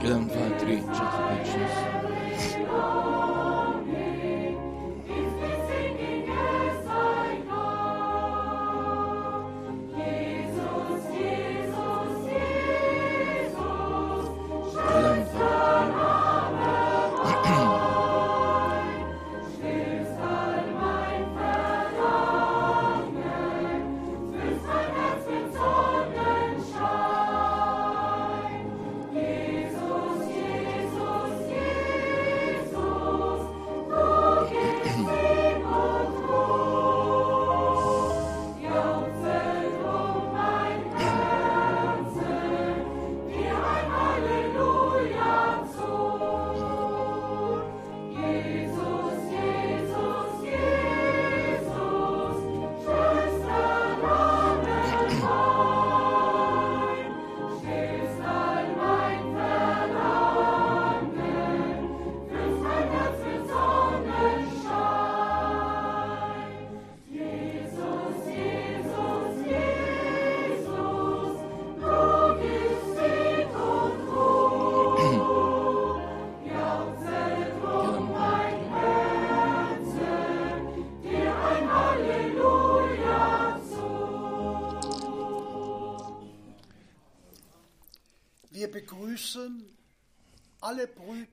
1, 2, 3, 4, 5, 6.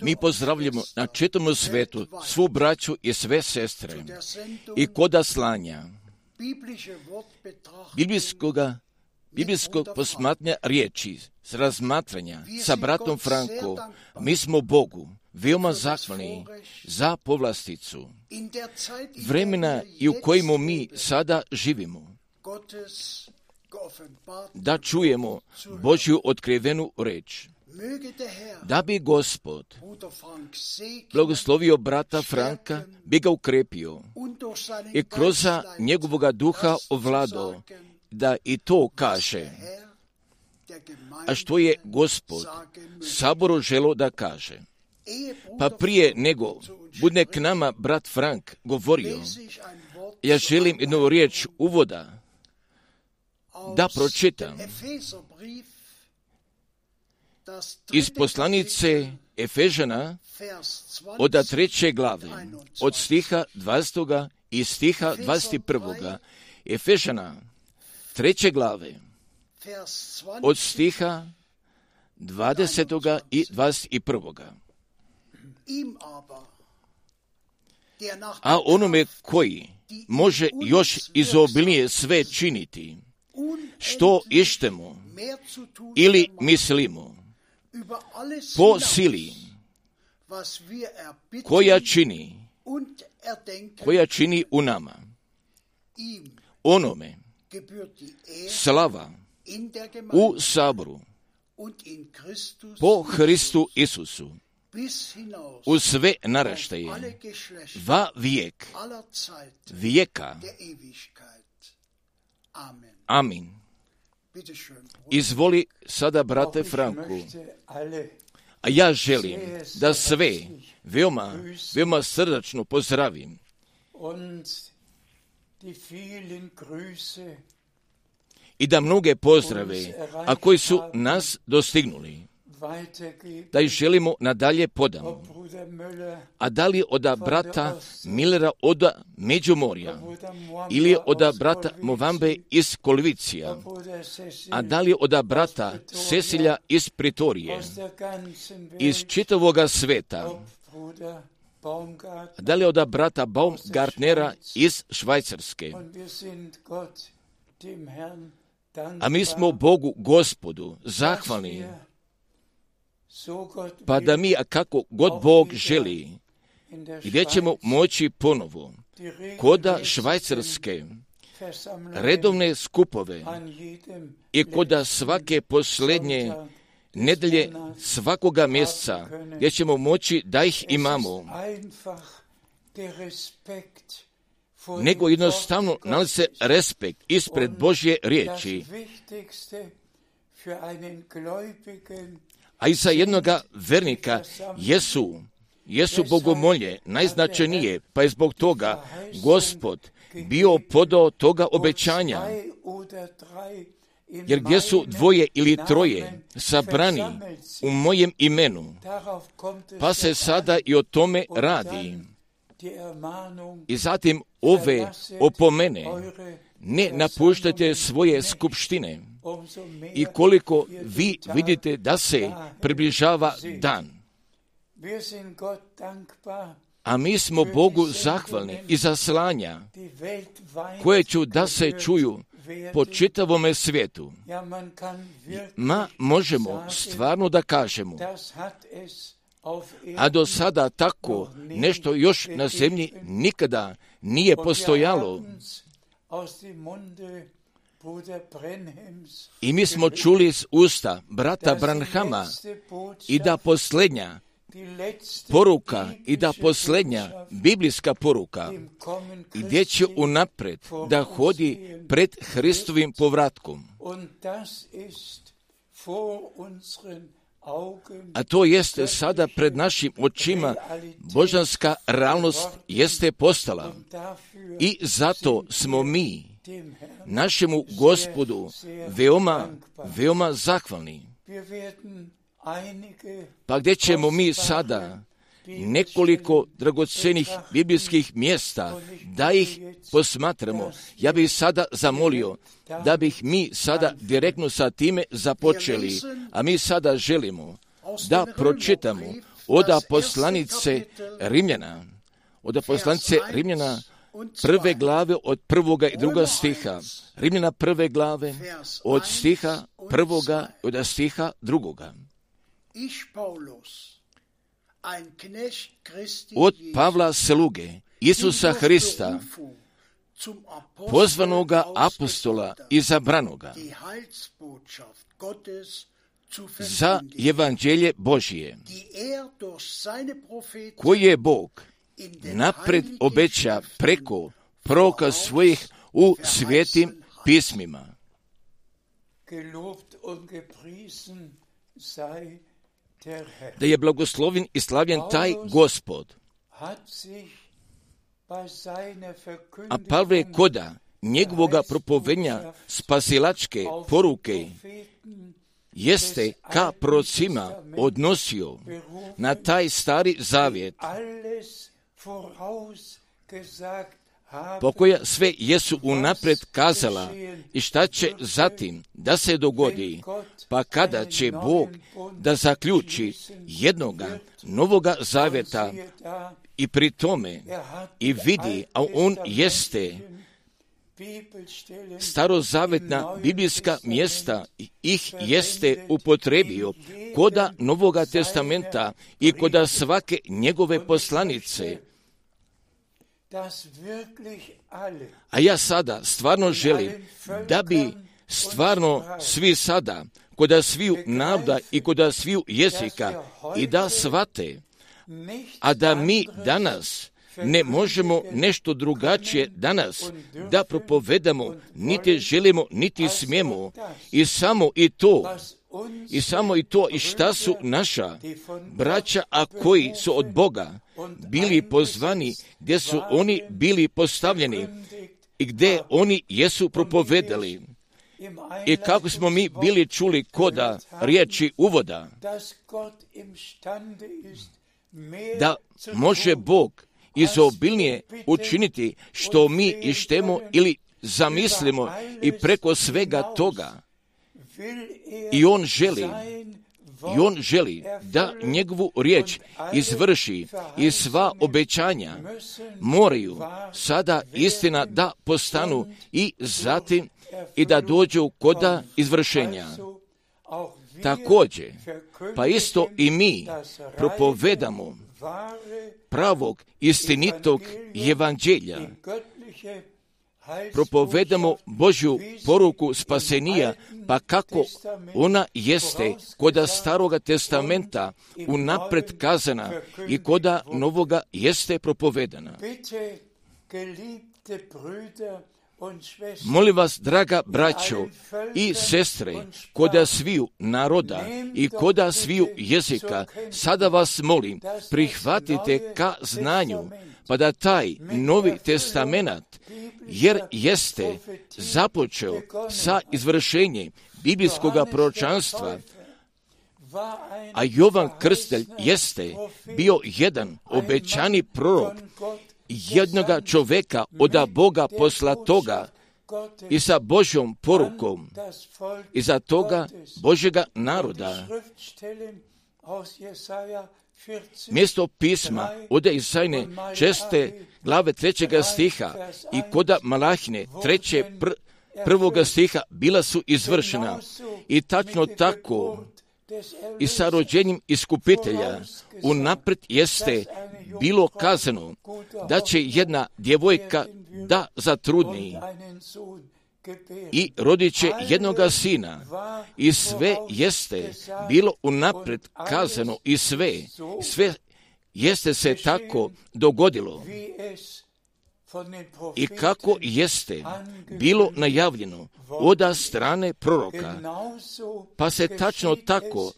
Mi pozdravljamo na čitavom svijetu svu braću i sve sestre i kod slanja biblijskog posmatranja riječi, s razmatranja sa bratom Frankom. Mi smo Bogu veoma zahvalni za povlasticu vremena i u kojemu mi sada živimo, da čujemo Božju otkrivenu reč. Da bi Gospod blagoslovio brata Franka, bi ga ukrepio i kroz njegovoga duha ovladao, da i to kaže, a što je Gospod saboru želo da kaže. Pa prije nego bude k nama brat Frank govorio, ja želim jednu riječ uvoda da pročitam iz poslanice Efežana od 3. glave, od stiha 20. i stiha 21. Efežana 3. glave, od stiha 20. i 21. A onome koji može još izobilnije sve činiti, što ištemo ili mislimo, po sili koja čini u nama. Onome slava u saboru po Hristu Isusu u sve naraštaje va vijek vijeka. Amin. Izvoli sada, brate Franku, a ja želim da sve veoma srdačno pozdravim i da mnoge pozdrave, a koji su nas dostignuli, da ih želimo nadalje podamo. A da li od brata Millera od Međumorja, ili od brata Movambe iz Kolvicija, a da li od brata Cecilja iz Pritorije, iz čitavoga sveta, a da li od brata Baumgartnera iz Švajcarske. A mi smo Bogu Gospodu zahvalni, pa da mi, kako god Bog želi, gdje ćemo moći ponovo koda Švajcarske redovne skupove i koda svake posljednje nedelje svakoga mjeseca, gdje ćemo moći da ih imamo, nego jednostavno nalazi se respekt ispred Božje riječi. A i za jednoga vernika jesu bogomolje najznačajnije, pa je zbog toga Gospod bio podao toga obećanja. jer gdje su dvoje ili troje sabrani u mojem imenu, pa se sada i o tome radi. I zatim ove opomene, ne napuštajte svoje skupštine. I koliko vi vidite da se približava dan. A mi smo Bogu zahvalni i za slanja koje ću da se čuju po čitavome svijetu. Možemo stvarno da kažemo, a do sada tako nešto još na zemlji nikada nije postojalo. I mi smo čuli iz usta brata Branhama i da posljednja poruka i da posljednja biblijska poruka gdje će unapred da hodi pred Hristovim povratkom. A to jeste sada pred našim očima, božanska realnost jeste postala. I zato smo mi našemu Gospodu veoma zahvalni. Pa gdje ćemo mi sada nekoliko dragocenih biblijskih mjesta da ih posmatramo. Ja bih sada zamolio da bih mi sada direktno sa time započeli, a mi sada želimo da pročitamo od poslanice Rimljana, prve glave od 1. i 2. stiha. Rimljana prve glave od stiha 1. i od stiha 2. Od Pavla sluge Isusa Hrista, pozvanoga apostola i izabranoga za evanđelje Božije, koje je Bog napred obeća preko proroka svojih u svetim pismima. Da je blagoslovljen i slavljen taj Gospod. A Pavle koda njegovoga propovednja spasilačke poruke jeste ka prorocima odnosio na taj stari zavjet, po koja sve jesu unapred kazala i šta će zatim da se dogodi, pa kada će Bog da zaključi jednoga novoga zavjeta i pri tome i vidi, a on jeste starozavjetna biblijska mjesta ih jeste upotrebio koda Novoga testamenta i koda svake njegove poslanice. A ja sada stvarno želim da bi stvarno svi sada, koda sviju naroda i koda sviju jezika i da shvate, a da mi danas ne možemo nešto drugačije danas da propovedamo, niti želimo, niti smijemo. I samo i to i šta su naša braća, a koji su od Boga bili pozvani, gdje su oni bili postavljeni i gdje oni jesu propovedali. I kako smo mi bili čuli koda riječi uvoda, da može Bog izobilnije učiniti što mi ištemo ili zamislimo i preko svega toga. I on želi da njegovu riječ izvrši i sva obećanja moraju sada istina da postanu i zatim i da dođu koda izvršenja. Također, pa isto i mi propovedamo pravog, istinitog evanđelja. Propovedamo Božju poruku spasenija, pa kako ona jeste koda Staroga testamenta unapred kazana i koda Novoga jeste propovedana. Molim vas, draga braćo i sestre, koda sviju naroda i koda sviju jezika, sada vas molim, prihvatite ka znanju pa da taj Novi testament, jer jeste započeo sa izvršenjem biblijskog proročanstva, a Jovan Krstitelj jeste bio jedan obećani prorok, jednoga čoveka od Boga poslatoga i sa Božjom porukom i za toga Božjega naroda. Mjesto pisma od Isajne 6. glave 3. stiha i koda Malahine 1. stiha bila su izvršena i tačno tako i sa rođenjem iskupitelja unaprijed jeste bilo kazano da će jedna djevojka da zatrudni i rodit će jednoga sina. I sve jeste bilo unaprijed kazano i sve jeste se tako dogodilo. I kako jeste bilo najavljeno od strane proroka, pa se tačno tako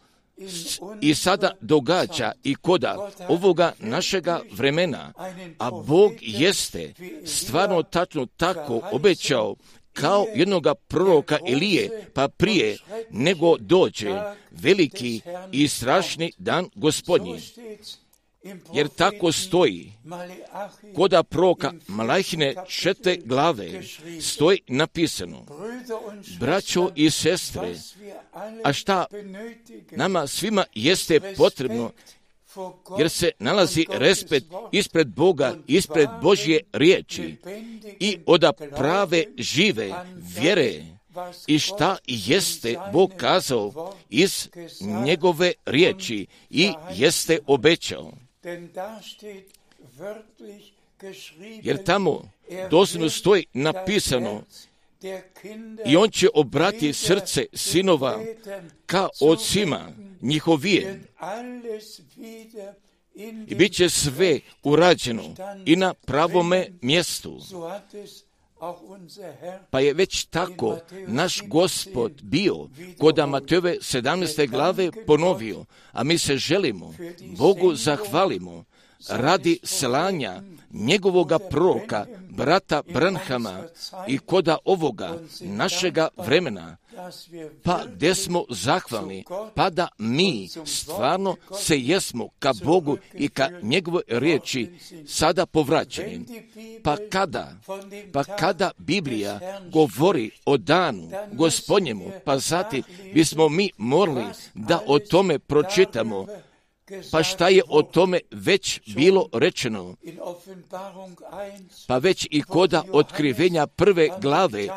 i sada događa i koda ovoga našega vremena, a Bog jeste stvarno tačno tako obećao kao jednoga proroka Elije, pa prije nego dođe veliki i strašni dan Gospodnji. Jer tako stoji koda proroka Malahine 4. glave stoji napisano: braćo i sestre, a šta nama svima jeste potrebno, jer se nalazi respekt ispred Boga, ispred Božje riječi i od prave žive vjere, i šta jeste Bog kazao iz njegove riječi i jeste obećao. Jer tamo doslovno stoji napisano: i on će obrati srce sinova ka ocima njihovije i bit će sve urađeno i na pravome mjestu. Pa je već tako naš Gospod bio kod Matejove 17. glave ponovio, a mi se želimo Bogu zahvalimo radi slanja njegovoga proroka, brata Branhama i koda ovoga našega vremena, pa gdje smo zahvalni, pa da mi stvarno se jesmo ka Bogu i ka njegovoj riječi sada povraćeni. Pa kada Biblija govori o danu Gospodnjemu, pa zatim bismo mi morali da o tome pročitamo. Pa šta je o tome već bilo rečeno? Pa već i koda otkrivenja 1. glave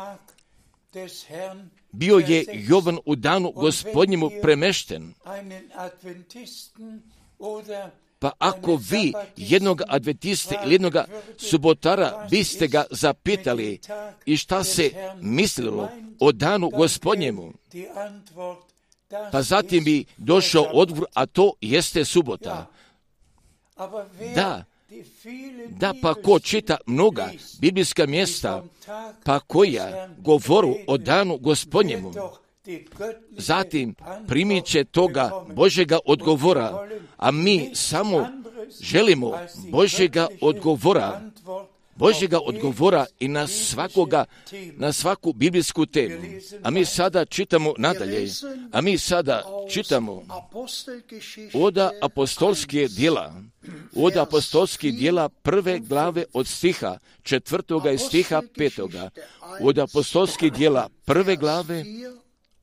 bio je Jovan u danu Gospodnjemu premešten. Pa ako vi jednog adventiste ili jednog subotara biste ga zapitali i šta se mislilo o danu Gospodnjemu, pa zatim bi došao odgovor, a to jeste subota. Da, pa ko čita mnoga biblijska mjesta, pa koja govoru o danu Gospodnjemu, zatim primit će toga Božjega odgovora, a mi samo želimo Božjega odgovora i na svaku biblijsku temu. A mi sada čitamo nadalje, od apostolskih djela 1. glave od stiha 4. i stiha 5. Od apostolskih djela 1. glave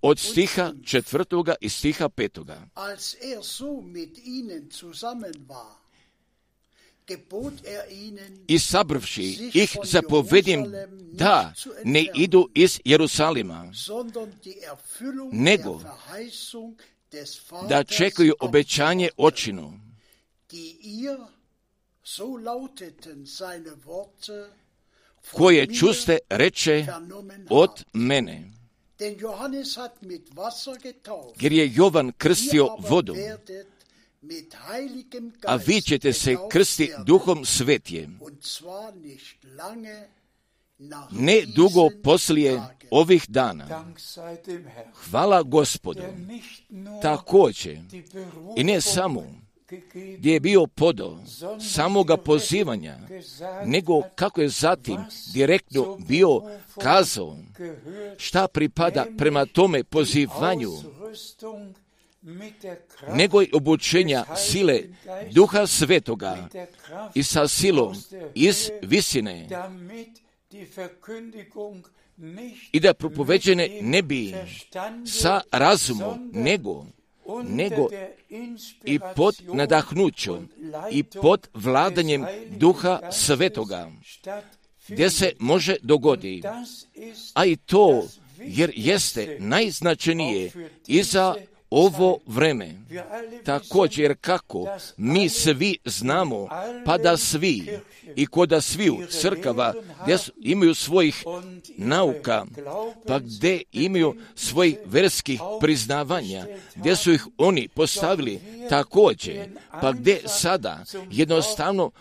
od stiha 4. i stiha 5. I sabrvši ih zapovedim da ne idu iz Jerusalima, nego da čekaju obećanje očino, koje čuste reče od mene. Jer je Jovan krstio vodom, a vi ćete se krsti Duhom Svetijem. Ne dugo poslije ovih dana. Hvala Gospodu. Također, i ne samo gdje je bio podo samoga pozivanja, nego kako je zatim direktno bio kazao šta pripada prema tome pozivanju, nego i obučenja sile Duha Svetoga i sa silom iz visine, i da propoveđene ne bi sa razumom, nego i pod nadahnućom i pod vladanjem Duha Svetoga, gdje se može dogoditi, a i to jer jeste najznačajnije i za ovo vreme. Također kako mi svi znamo, pa da svi i koda sviju crkava gdje imaju svojih nauka, pa gdje imaju svojih verskih priznavanja, gdje su ih oni postavili također, pa gdje sada jednostavno,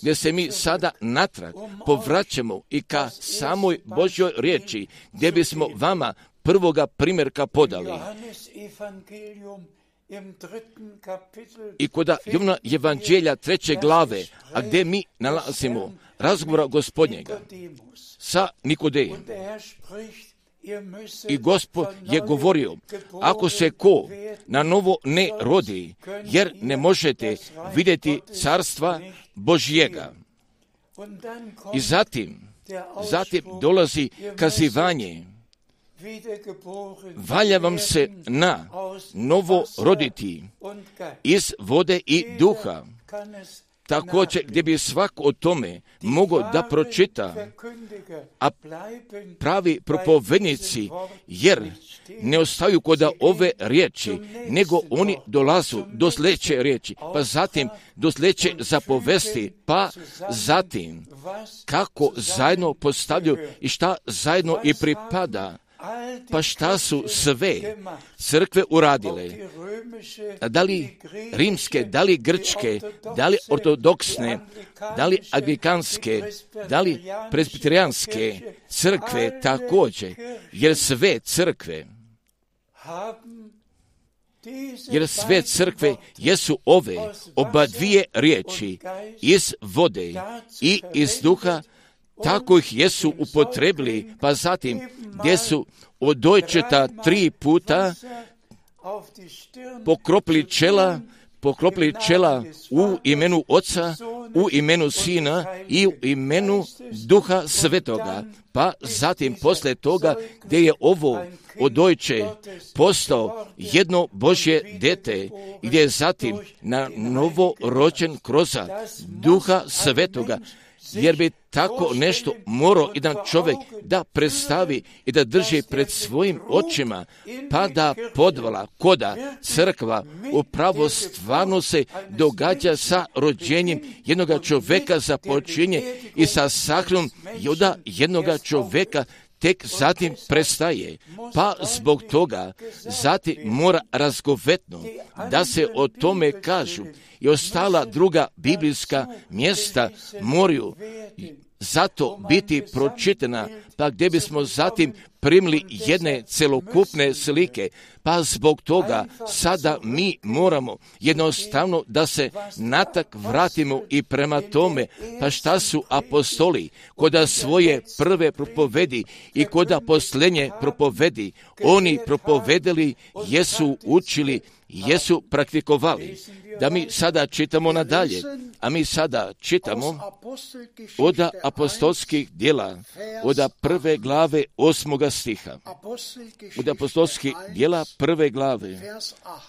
gdje se mi sada natrag povraćamo i ka samoj Božjoj riječi, gdje bismo vama prvoga primjerka podali. I kod Jovana Evanđelja 3. glave, a gdje mi nalazimo razgovora Gospodnjega sa Nikodejem. I Gospod je govorio, ako se ko na novo ne rodi, jer ne možete vidjeti carstva Božjega. I zatim dolazi kazivanje, valja vam se na novo roditi iz vode i duha. Također gdje bi svak o tome mogao da pročita, a pravi propovednici, jer ne ostaju kod ove riječi, nego oni dolazu do sljedeće riječi, pa zatim do sljedeće zapovesti, pa zatim kako zajedno postavljaju i šta zajedno i pripada. Pa šta su sve crkve uradile? Da li rimske, da li grčke, da li ortodoksne, da li anglikanske, da li presbiterijanske crkve također, jer sve crkve jesu ove oba dvije riječi iz vode i iz duha, tako ih jesu upotrebili, pa zatim gdje su odojčeta 3 puta pokropili čela u imenu Oca, u imenu Sina i u imenu Duha Svetoga. Pa zatim poslije toga gdje je ovo odojče postao jedno Božje dete, gdje je zatim na novo rođen kroz Duha Svetoga, jer bi tako nešto morao jedan čovjek da predstavi i da drži pred svojim očima, pa da podvala koda crkva upravo stvarno se događa sa rođenjem jednoga čovjeka započinje i sa sahranom jednoga čovjeka tek zatim prestaje, pa zbog toga zatim mora razgovetno da se o tome kažu i ostala druga biblijska mjesta moraju zato biti pročitana, pa gdje bismo zatim primili jedne celokupne slike, pa zbog toga sada mi moramo jednostavno da se natak vratimo i prema tome, pa šta su apostoli koda svoje prve propovedi i koda posljednje propovedi, oni propovedali, jesu učili, jesu praktikovali. Da mi sada čitamo nadalje, a mi sada čitamo od apostolskih djela, od 1. glave 8. stiha. Od apostolskih djela 1. glave,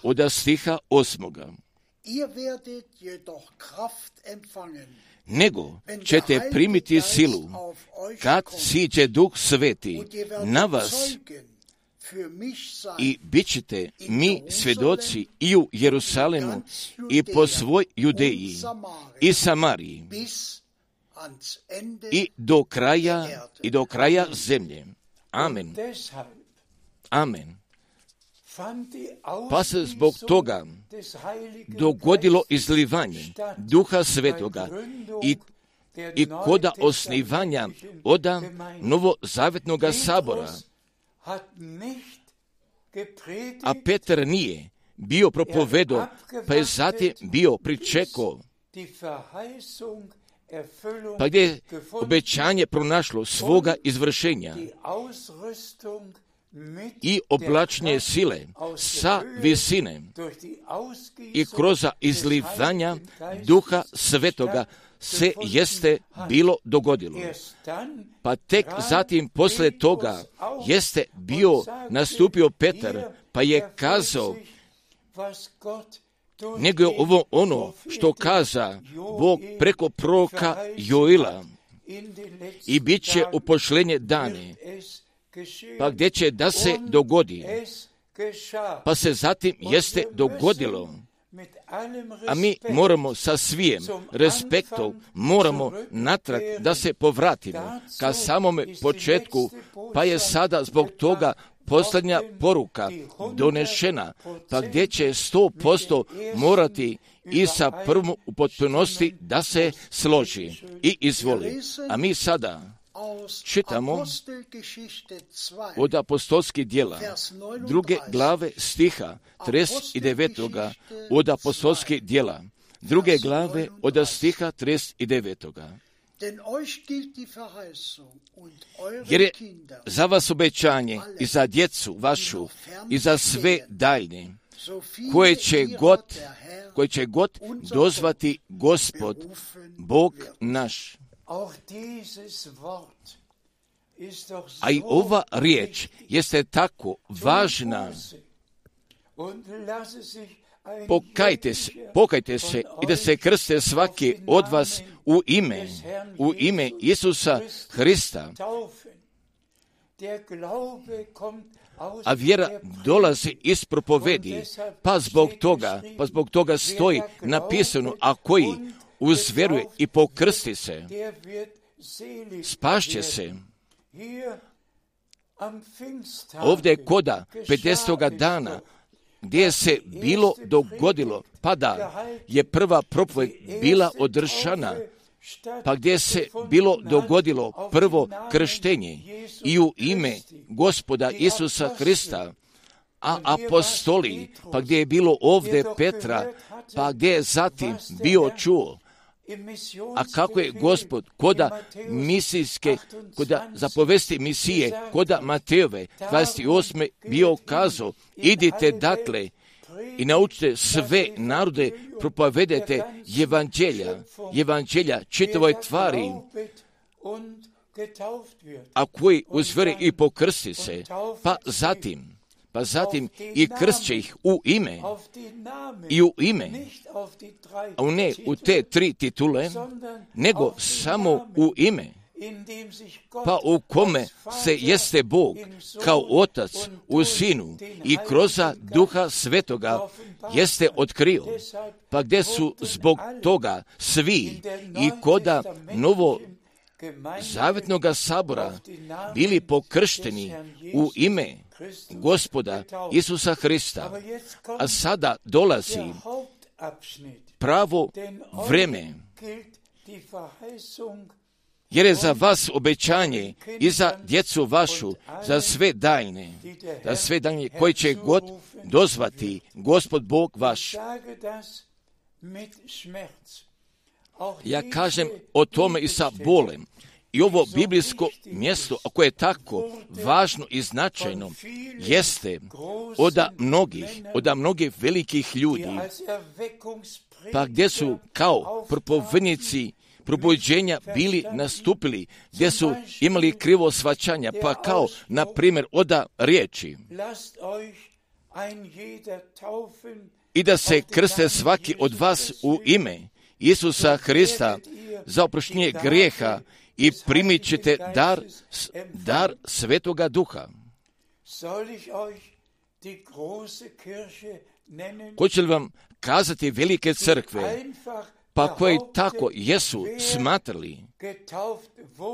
od stiha 8. Nego ćete primiti silu, kad siđe Duh Sveti na vas, i bit ćete mi svjedoci i u Jerusalemu i po svoj Judeji i Samariji i do kraja zemlje. Amen. Amen. Pa se zbog toga dogodilo izlivanje Duha Svetoga i koda osnivanja oda novozavetnoga sabora. A Petar nije bio propovedo, pa je zatim bio pričekao, pa gdje je obećanje pronašlo svoga izvršenja i oblačenje sile sa visine i kroz izlivanja Duha Svetoga se jeste bilo dogodilo. Pa tek zatim poslije toga jeste bio nastupio Petar, pa je kazao, nego je ovo ono što kaza Bog preko proroka Joila i bit će upošljenje dane, pa gdje će da se dogodi, pa se zatim jeste dogodilo. A mi moramo sa svijem respektom, moramo natrag da se povratimo ka samome početku, pa je sada zbog toga posljednja poruka donešena, pa gdje će 100% morati i sa prvom u potpunosti da se složi i izvoli. A mi sada čitamo od apostolskih djela, 2. glave stiha 39. od apostolskih djela, 2. glave od stiha 39. Jer je za vas obećanje i za djecu vašu i za sve daljne, koje će god dozvati Gospod, Bog naš. A i ova riječ jeste tako važna. Pokajte se i da se krste svaki od vas u ime Isusa Hrista. A vjera dolazi iz propovedi, pa zbog toga stoji napisano, a koji uzvjeruje i pokrsti se, spašće se. Ovdje koda 50. dana, gdje se bilo dogodilo, pa da je prva propoved bila održana, pa gdje se bilo dogodilo prvo krštenje i u ime Gospoda Isusa Hrista, a apostoli, pa gdje je bilo ovdje Petra, pa gdje je zatim bio čuo, a kako je Gospod koda misijske, koda zapovesti misije, koda Matejove 28. bio kazao, idite dakle i naučite sve narode, propovedete evanđelja čitavoj tvari, a koji uzvjeri i pokrsti se, pa zatim i kršće ih u ime, a ne u te 3 titule, nego samo u ime, pa u kome se jeste Bog kao Otac u Sinu i kroz Duha Svetoga jeste otkrio, pa gdje su zbog toga svi i koda novo Zavjetnoga sabora bili pokršteni u ime Gospoda Isusa Hrista. A sada dolazi pravo vreme, jer je za vas obećanje i za djecu vašu, za sve daljne koji će god dozvati Gospod Bog vaš. Ja kažem o tome i sa bolem. I ovo biblijsko mjesto, ako je tako važno i značajno, jeste od mnogih velikih ljudi, pa gdje su kao propovednici probuđenja bili nastupili, gdje su imali krivo shvaćanja, pa kao, na primjer, oda riječi, i da se krste svaki od vas u ime Isusa Hrista za oproštenje grijeha i primit ćete dar Svetoga Duha. Hoću li vam kazati velike crkve, pa koji tako jesu smatrali,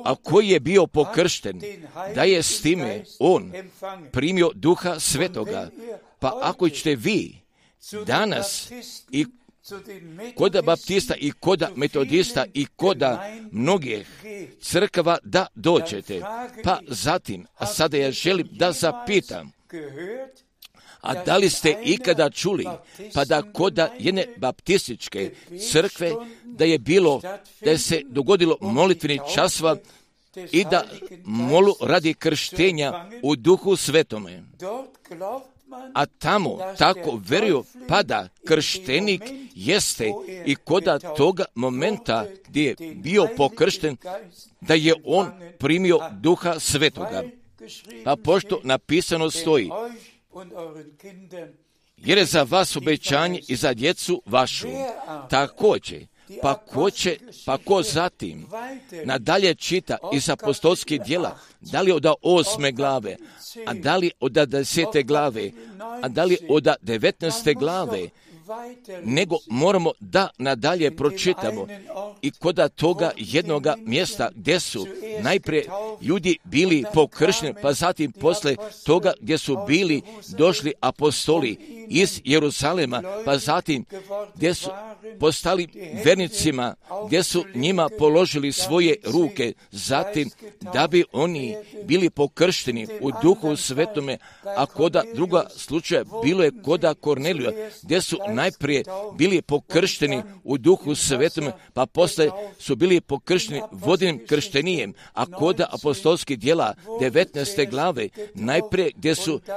a koji je bio pokršten, da je s time on primio Duha Svetoga, pa ako ćete vi danas i koda baptista i koda metodista i koda mnogih crkava da dođete, pa zatim, a sada ja želim da zapitam, A da li ste ikada čuli, pa da kod jedne baptističke crkve, da je se dogodilo molitveni časova i da molu radi krštenja u Duhu Svetome. A tamo tako veruju, pa da krštenik jeste i koda toga momenta gdje je bio pokršten, da je on primio Duha Svetoga. Pa pošto napisano stoji, jer je za vas obećanje i za djecu vašu. Također, pa ko zatim nadalje čita iz apostolskih djela, da li od 8. glave, a da li od 10. glave, a da li od 19. glave, nego moramo da nadalje pročitamo i kod toga jednoga mjesta gdje su najprije ljudi bili pokršteni, pa zatim posle toga gdje su bili došli apostoli iz Jeruzalema, pa zatim gdje su postali vernicima, gdje su njima položili svoje ruke, zatim da bi oni bili pokršteni u Duhu Svetome, a koda druga slučaja bilo je koda Kornelija, gdje su najprije bili pokršteni u Duhu Svetome, pa posle su bili pokršteni vodenim krštenijem, a koda apostolskih djela 19. glave, najprije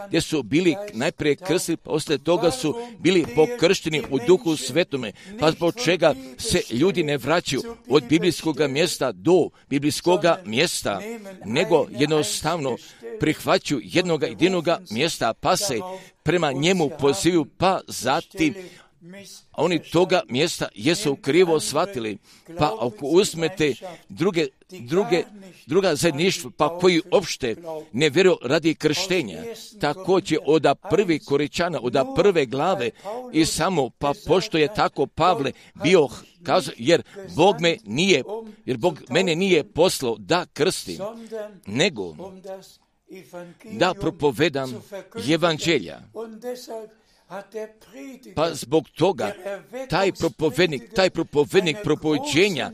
gdje su bili najprije krstili, posle toga su bili pokršteni u Duhu Svetome, pa zbog čega se ljudi ne vraćaju od biblijskog mjesta do biblijskog mjesta, nego jednostavno prihvaćaju jednog jedinog mjesta, pa se prema njemu pozivaju, pa zatim oni toga mjesta jesu krivo shvatili. Pa ako uzmete druga zajedništva, pa koji opšte ne vjeruju radi krštenja, također od 1. Koričana, od 1. glave i samo, pa pošto je tako Pavle bio kazao, jer Bog mene nije poslao da krstim, nego da propovedam evanđelja. Pa zbog toga taj propovednik propoveđenja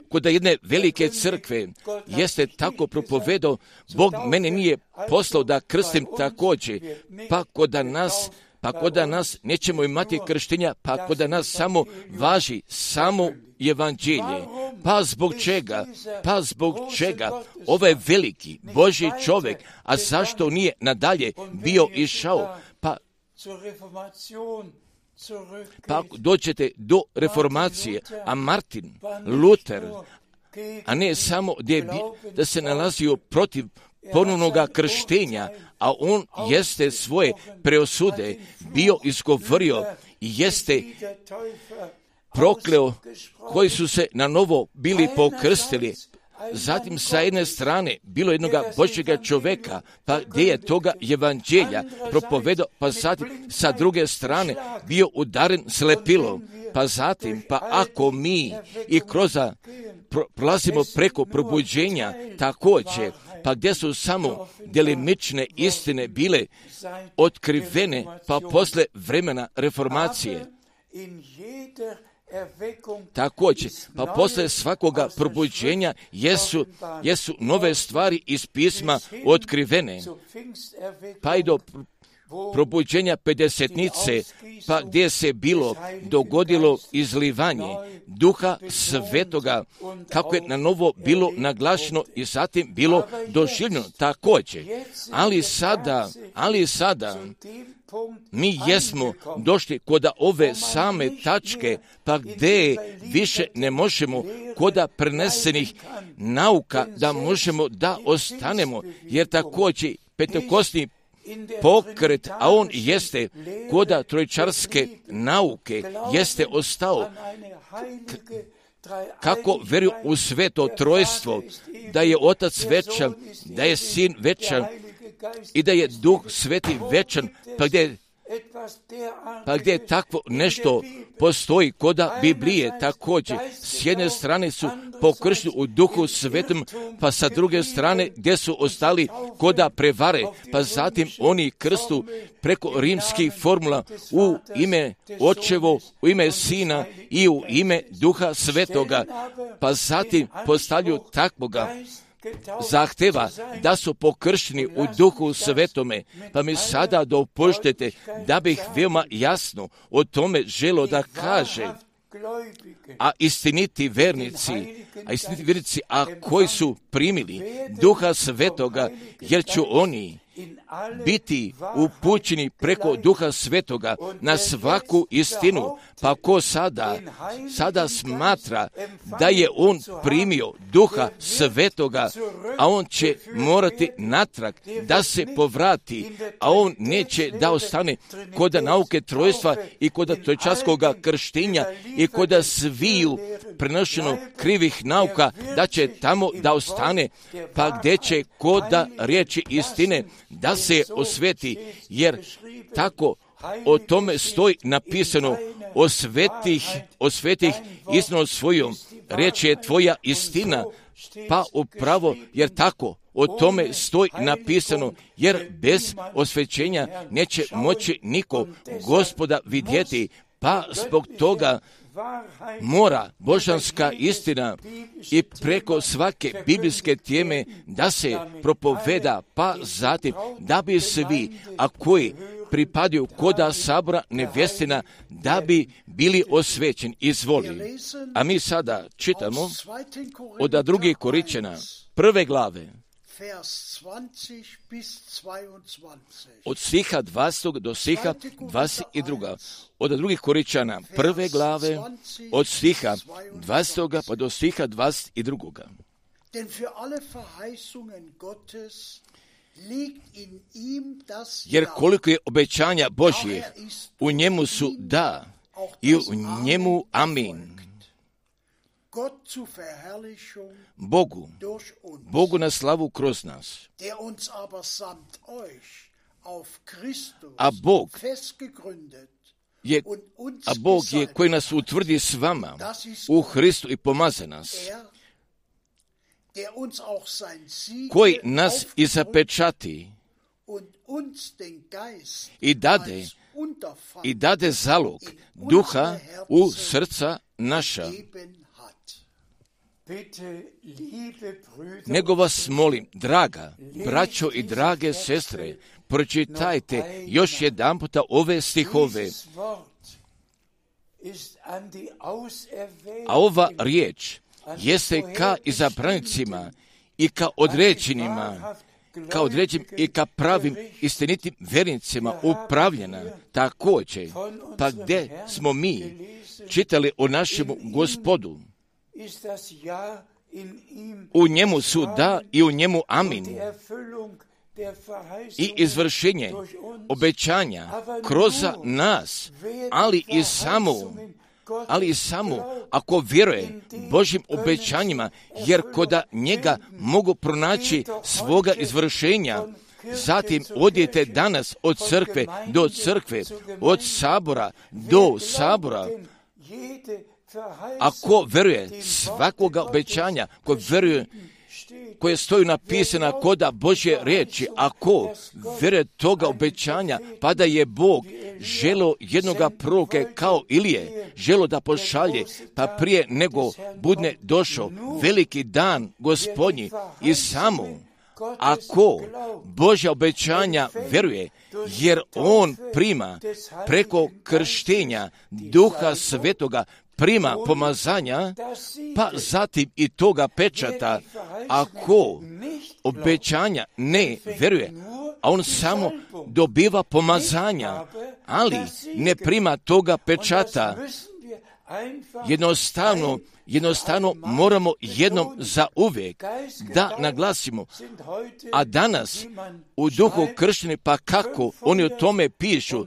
kod jedne velike crkve jeste tako propovedao, Bog mene nije poslao da krstim također, pa kod nas nećemo imati krštenja, pa kod nas samo važi samo evanđelje. Pa zbog čega ovaj veliki Božji čovjek, a zašto nije nadalje bio išao, pa dođete do reformacije, a Martin Luther, a ne samo da se nalazio protiv ponovnoga krštenja, a on jeste svoje preosude bio izgovorio i jeste prokleo koji su se na novo bili pokrstili. Zatim sa jedne strane bilo jednoga Božjega čovjeka, pa gdje je toga evanđelja propovedao, pa zatim sa druge strane bio udaren slepilom, pa zatim, pa ako mi i kroz prolazimo preko probuđenja također, pa gdje su samo delimične istine bile otkrivene, pa posle vremena reformacije. Također, pa posle svakoga probuđenja jesu nove stvari iz pisma otkrivene, pa i do probuđenja Pedesetnice, pa gdje se dogodilo izlivanje Duha Svetoga, kako je na novo bilo naglašeno i zatim bilo doživljeno također. Ali sada mi jesmo došli kod ove same tačke, pa gdje više ne možemo kod prenesenih nauka da možemo da ostanemo, jer također pentekostni pokret, a on jeste kod trojčarske nauke, jeste ostao kako vjeruju u sveto trojstvo, da je Otac večan, da je Sin večan i da je Duh Sveti večan, pa gdje takvo nešto postoji kod Biblije također. S jedne strane su pokršteni u Duhu Svetom, pa sa druge strane gdje su ostali kod prevare, pa zatim oni krstu preko rimskih formula u ime Očevo, u ime Sina i u ime Duha Svetoga, pa zatim postavljaju takvoga zahteva da su pokršteni u Duhu Svetome, pa mi sada dopuštite da bih veoma jasno o tome želio da kaže, a istiniti vernici, a koji su primili Duha Svetoga, jer će oni biti upućeni preko Duha Svetoga na svaku istinu. Pa ko sada smatra da je on primio Duha Svetoga, a on će morati natrag da se povrati, a on neće da ostane kod nauke trojstva i kod trojčaskoga krštenja i kod sviju prenošeno krivih nauka, da će tamo da ostane, pa gdje će kod riječi istine da se osveti, jer tako o tome stoji napisano, o svetih istinu svojom, riječ je tvoja istina, pa upravo, jer tako o tome stoji napisano, jer bez osvećenja neće moći niko Gospoda vidjeti, pa zbog toga mora božanska istina i preko svake biblijske teme da se propoveda, pa zatim da bi svi, a koji pripadaju koda sabora nevjestina, da bi bili osvećeni. Izvoli. A mi sada čitamo od 2. Korinćana 1. glave, od stiha 20. do stiha 22. Od 2. Korinćana 1. glave, od stiha 20. pa do stiha 22. Jer koliko je obećanja Božje, u njemu su da i u njemu amin. Bogu na slavu kroz nas. A Bog je koji nas utvrdi s vama u Hristu i pomaže nas, koji nas i zapečati i dade zalog duha u srca naša. Nego vas molim, draga braćo i drage sestre, pročitajte još jedanputa ove stihove. A ova riječ jeste ka izabranicima i ka određenima, i ka pravim istinitim vernicima upravljena. Također, pa gdje smo mi čitali o našemu Gospodu, u njemu su da i u njemu amin. I izvršenje obećanja kroz nas, ali i samo ako vjeruje Božjim obećanjima, jer koda njega mogu pronaći svoga izvršenja. Zatim odjete danas od crkve do crkve, od sabora do sabora. Ako veruje svakoga obećanja, ko veruje koje stoju napisana koda Božje riječi, ako veruje toga obećanja, pa da je Bog želo jednoga proroke kao Ilije, želo da pošalje, pa prije nego budne došao veliki dan Gospodnji, i samo ako Božja obećanja veruje, jer on prima preko krštenja Duha Svetoga, prima pomazanja, pa zatim i toga pečata. Ako obećanja ne veruje, a on samo dobiva pomazanja, ali ne prima toga pečata, jednostavno moramo jednom za uvijek da naglasimo. A danas u duhu kršteni, pa kako oni o tome pišu,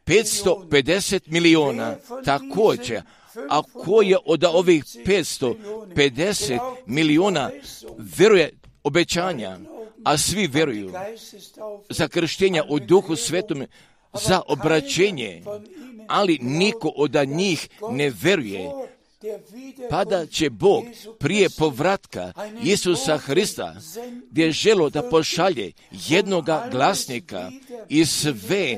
550 miliona također. A ko je od ovih 550 miliona veruje obećanja, a svi vjeruju za krštenja u Duhu Svetom, za obraćenje, ali niko od njih ne veruje, pa da će Bog prije povratka Isusa Hrista, gdje je želo da pošalje jednoga glasnika i sve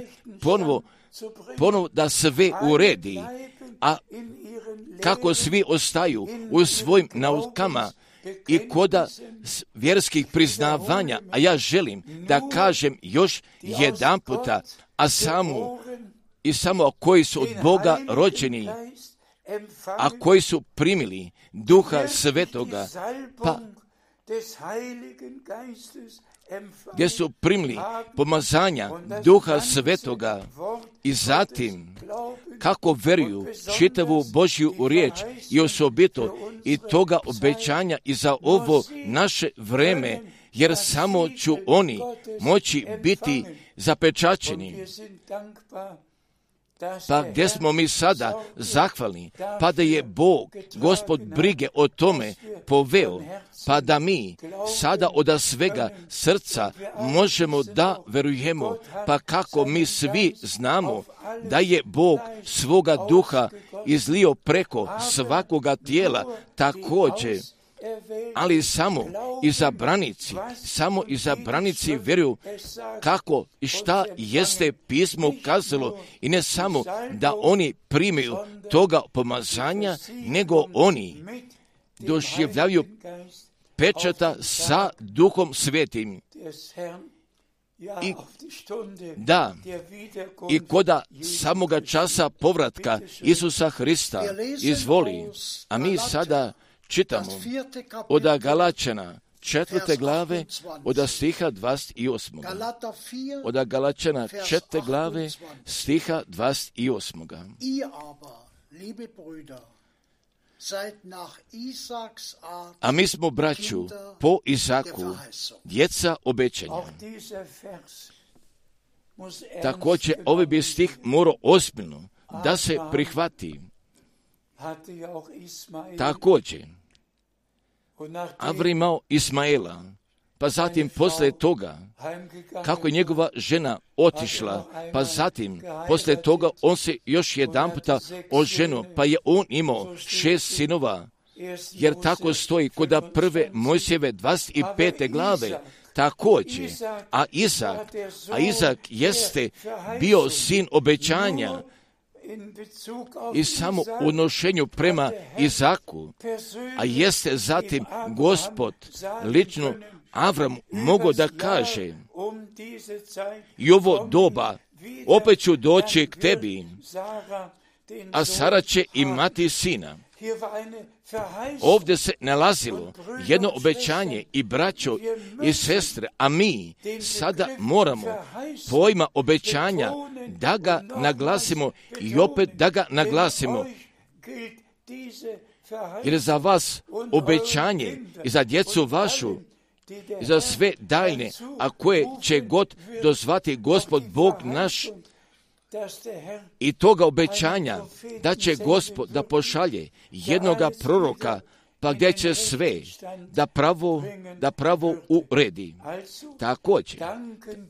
ponovo da sve uredi, a kako svi ostaju u svojim naukama i koda vjerskih priznavanja, a ja želim da kažem još jedan puta, samo koji su od Boga rođeni, a koji su primili Duha Svetoga, pa gdje su primili pomazanja Duha Svetoga i zatim kako veruju čitavu Božju riječ i osobito i toga obećanja i za ovo naše vreme, jer samo ću oni moći biti zapečaćeni. Pa gdje smo mi sada zahvalni, pa da je Bog, Gospod brige o tome poveo, pa da mi sada od svega srca možemo da verujemo, pa kako mi svi znamo da je Bog svoga duha izlio preko svakoga tijela također, ali samo izabranici vjeruju kako i šta jeste pismo kazalo i ne samo da oni primaju toga pomazanja, nego oni doživljavaju pečata sa Duhom Svetim. I koda samoga časa povratka Isusa Hrista izvoli, a mi sada čitamo od Galačana 4. glave od stiha 28. Od Galačana 4. glave stiha 28. A mi smo, braću, po Izaku, djeca obećanja. Također, ovaj bi stih morao ozbiljno da se prihvati. Također, Avram imao Ismaela, pa zatim poslije toga, kako je njegova žena otišla, pa zatim poslije toga on se još jedan puta oženio, pa je on imao 6 sinova, jer tako stoji kod prve Mojsijeve 25. glave. Također, a Izak jeste bio sin obećanja, i samo u odnošenju prema Izaku, a jeste zatim Gospod lično Avram mogao da kaže: i ovo doba opet ću doći k tebi, a Sara će imati sina. Ovdje se nalazilo jedno obećanje i braćo i sestre, a mi sada moramo pojma obećanja da ga naglasimo i opet da ga naglasimo. Jer za vas obećanje i za djecu vašu i za sve daljne, a koje će god dozvati Gospod Bog naš, i toga obećanja da će Gospod da pošalje jednoga proroka, pa gdje će sve da pravo uredi. Također,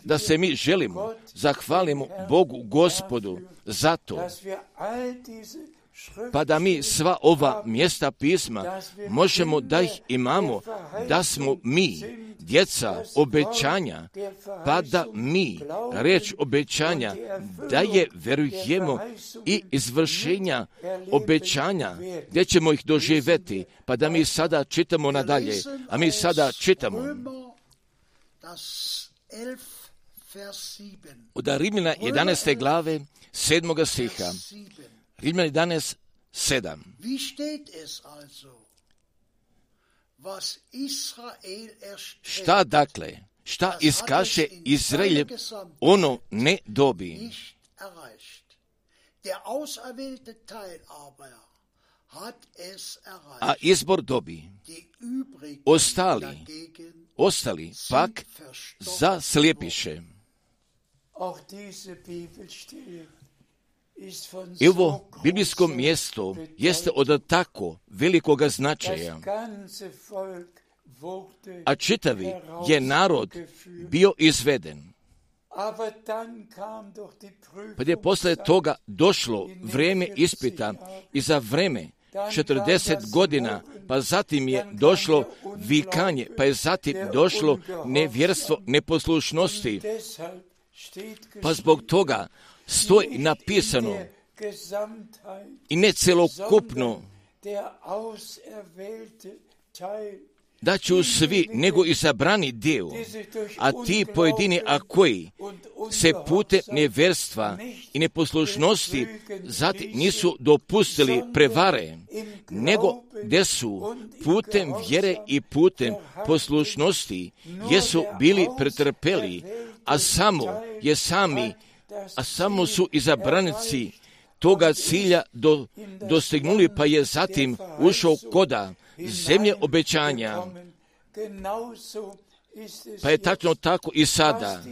da se mi želimo, zahvalimo Bogu Gospodu za to, pa da mi sva ova mjesta pisma možemo da ih imamo, da smo mi djeca obećanja, pa da mi reč obećanja da je verujemo i izvršenja obećanja gdje ćemo ih doživjeti, pa da mi sada čitamo nadalje, a mi sada čitamo od Rimljana 11. glave 7. stiha. Rimljana 11, 7. Šta dakle, šta iskaše Izrael, ono ne dobi. A izbor dobi. Ostali pak zaslijepiše. I ovo biblijsko mjesto jeste od tako velikoga značaja, a čitavi je narod bio izveden. Pa je posle toga došlo vrijeme ispita i za vrijeme 40 godina, pa zatim je došlo vikanje, pa je zatim došlo nevjerstvo neposlušnosti. Pa zbog toga stoji napisano i ne celokupno, da ću svi nego izabrani dio, a ti pojedini, a koji se putem nevjerstva i neposlušnosti zatim nisu dopustili prevare, nego gdje su putem vjere i putem poslušnosti jesu bili pretrpeli, a samo su izabranici toga cilja dostignuli, pa je zatim ušao koda zemlje obećanja. Pa je tačno tako i sada.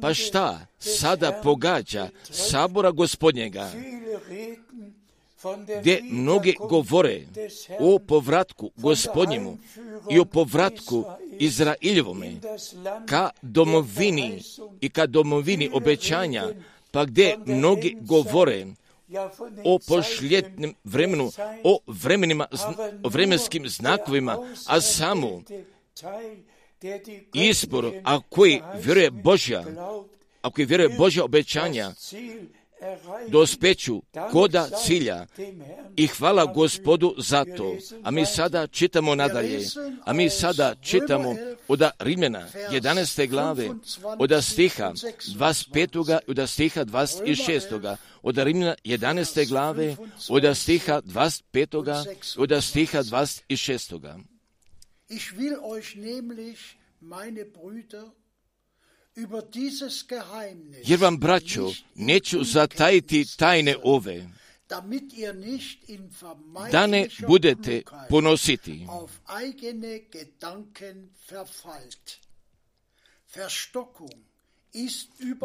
Pa šta sada pogađa sabora Gospodnjega, gdje mnogi govore o povratku Gospodnjemu i o povratku Izraeljevome ka domovini i ka domovini obećanja, pa gdje mnogi govore o posljednjem vremenu, o vremenskim znakovima, a samo izbor, ako vjeruje Božja obećanja, dospeću koda cilja i hvala Gospodu za to. A mi sada čitamo nadalje. A mi sada čitamo od Rimljana 11. glave, od stiha 25. i od stiha 26. Od Rimljana 11. glave, od stiha 25. i od stiha 26. Ich will euch nämlich, meine Brüder, jer vam, braćo, neću zatajiti tajne ove, da ne budete ponositi.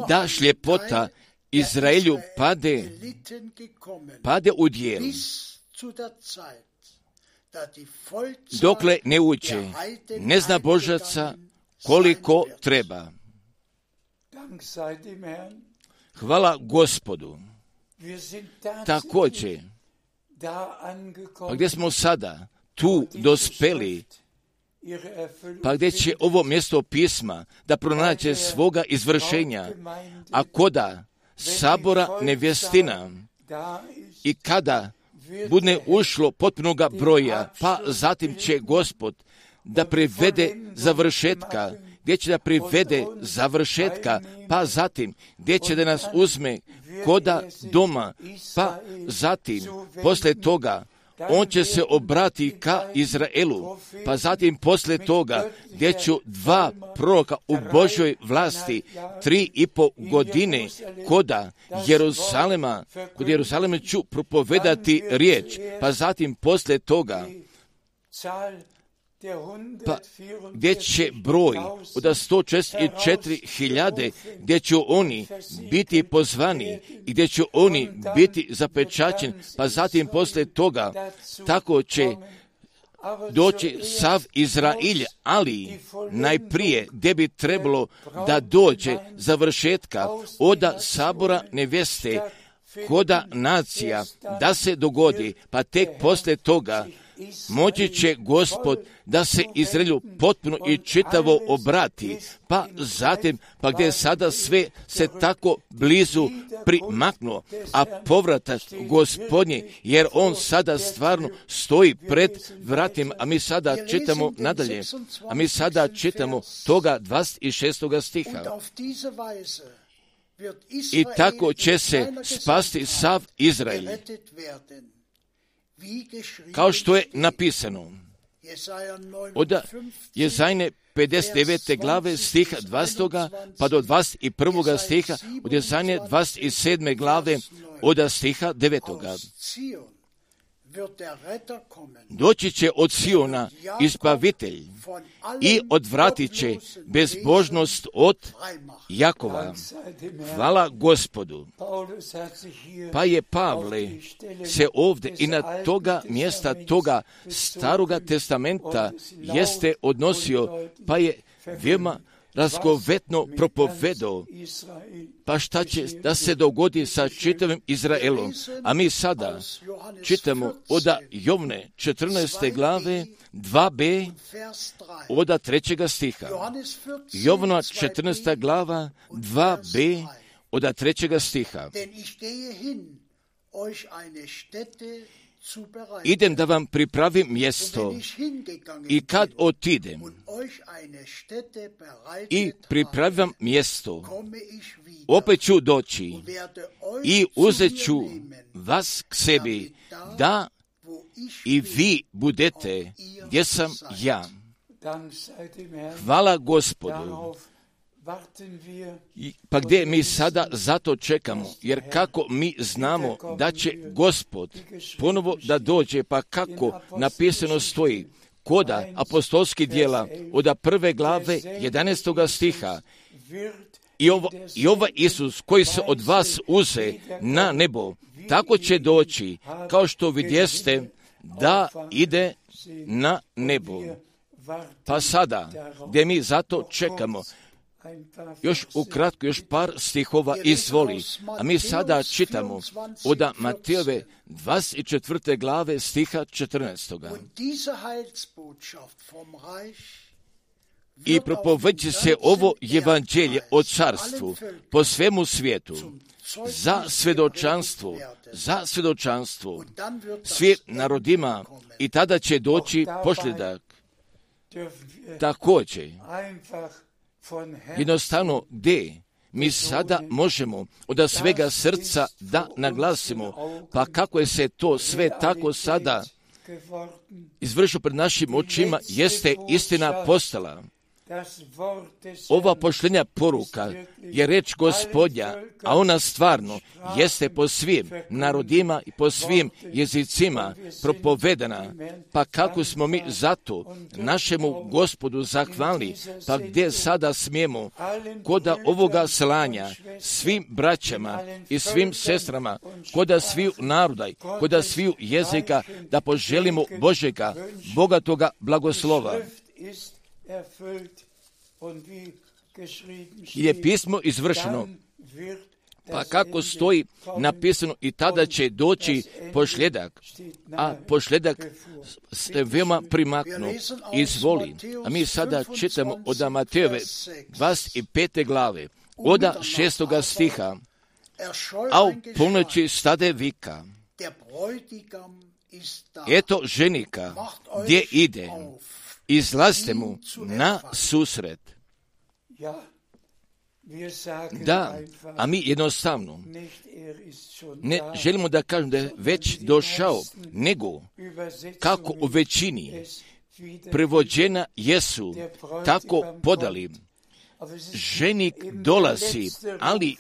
Da šljepota Izraelju pade u djelu, dokle ne uđe neznabožaca koliko treba. Hvala Gospodu. Također, pa gdje smo sada tu dospeli, pa gdje će ovo mjesto pisma da pronađe svoga izvršenja, a koda sabora nevjestina i kada bude ušlo potpunoga broja, pa zatim će Gospod da privede završetka, gdje će da privede završetka, pa zatim gdje će da nas uzme koda doma, pa zatim poslije toga on će se obrati ka Izraelu, pa zatim poslije toga gdje ću 2 proroka u Božoj vlasti 3,5 godine kod Jeruzalema ću propovedati riječ, pa zatim poslije toga pa gdje će broj od 144.000 gdje će oni biti pozvani i gdje će oni biti zapečaćeni, pa zatim poslije toga tako će doći sav Izrael, ali najprije gdje bi trebalo da dođe završetka od sabora nevjeste koda nacija da se dogodi, pa tek poslije toga moći će Gospod da se Izraelju potpuno i čitavo obrati, pa zatim, pa gdje sada sve se tako blizu primaknuo, a povratak Gospodnji, jer on sada stvarno stoji pred vratima, a mi sada čitamo nadalje, a mi sada čitamo toga 26. stiha. I tako će se spasti sav Izrael, kao što je napisano od Jezajne 59. glave stiha 20. pa do 21. stiha, od Jezajne 27. glave od stiha 9. Doći će od Siona izbavitelj i odvratit će bezbožnost od Jakova. Hvala Gospodu. Pa je Pavle se ovdje i na toga mjesta toga Staroga testamenta jeste odnosio, pa je veoma razgovetno propovedao, pa šta će da se dogodi sa čitavim Izraelom. A mi sada čitamo od Jovne 14. glave 2b od 3. stiha. Jovna 14. glava 2b od 3. stiha. idem da vam pripravim mjesto, i kad otidem i pripravim mjesto, opet ću doći i uzet ću vas k sebi, da i vi budete gdje sam ja. Hvala Gospodu. Pa gdje mi sada zato čekamo? Jer kako mi znamo da će Gospod ponovo da dođe, pa kako napisano stoji koda apostolskih djela od 1. glave 11. stiha, i ovaj Isus koji se od vas uze na nebo, tako će doći, kao što vidjeste da ide na nebo. Pa sada, gdje mi zato čekamo, još ukratko, još par stihova izvoli. A mi sada čitamo od Matejove 24. glave stiha 14. I propoveći se ovo evanđelje o carstvu po svemu svijetu, za svjedočanstvo svim narodima, i tada će doći posljedak. Također, jednostavno gdje mi sada možemo od svega srca da naglasimo, pa kako je se to sve tako sada izvršilo pred našim očima, jeste istina postala. Ova poštenja poruka je reč Gospodnja, a ona stvarno jeste po svim narodima i po svim jezicima propovedana. Pa kako smo mi zato našemu Gospodu zahvalni, pa gdje sada smijemo koda ovoga slanja svim braćama i svim sestrama, koda sviju naroda, koda sviju jezika, da poželimo Božega, bogatoga blagoslova. Je pismo izvršeno, pa kako stoji napisano, i tada će doći posljedak, a posljedak se veoma primaknu. Izvoli. A mi sada čitamo od Matejove 25. glave, od 6. stiha, a u ponoći stade vika, eto ženika, gdje ide, izlazite mu na susret. Da, a mi jednostavno ne želimo da kažemo da je već došao, nego kako u većini prevođena jesu tako podali. Ženik dolazi, ali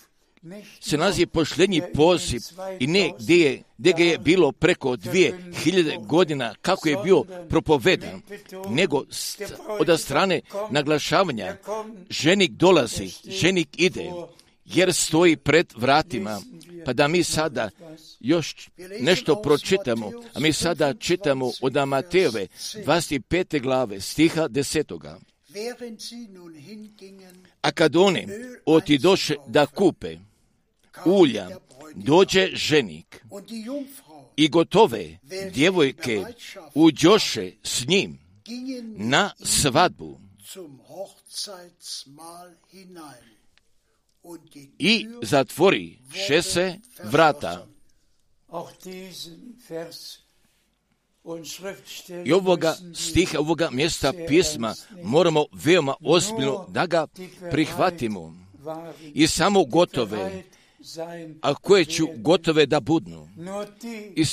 se nalazi posljednji poziv, i ne gdje ga je bilo preko 2000 godina kako je bio propovedan, nego od strane naglašavanja ženik dolazi, ženik ide, jer stoji pred vratima. Pa da mi sada još nešto pročitamo, a mi sada čitamo od Matejove 25. glave stiha 10. A kad oni otidoše da kupe ulja, dođe ženik, i gotove djevojke uđoše s njim na svadbu, i zatvori se vrata. I ovoga stiha, ovoga mjesta pisma moramo veoma ozbiljno da ga prihvatimo. I samo gotove, a koje ću gotove da budnu. I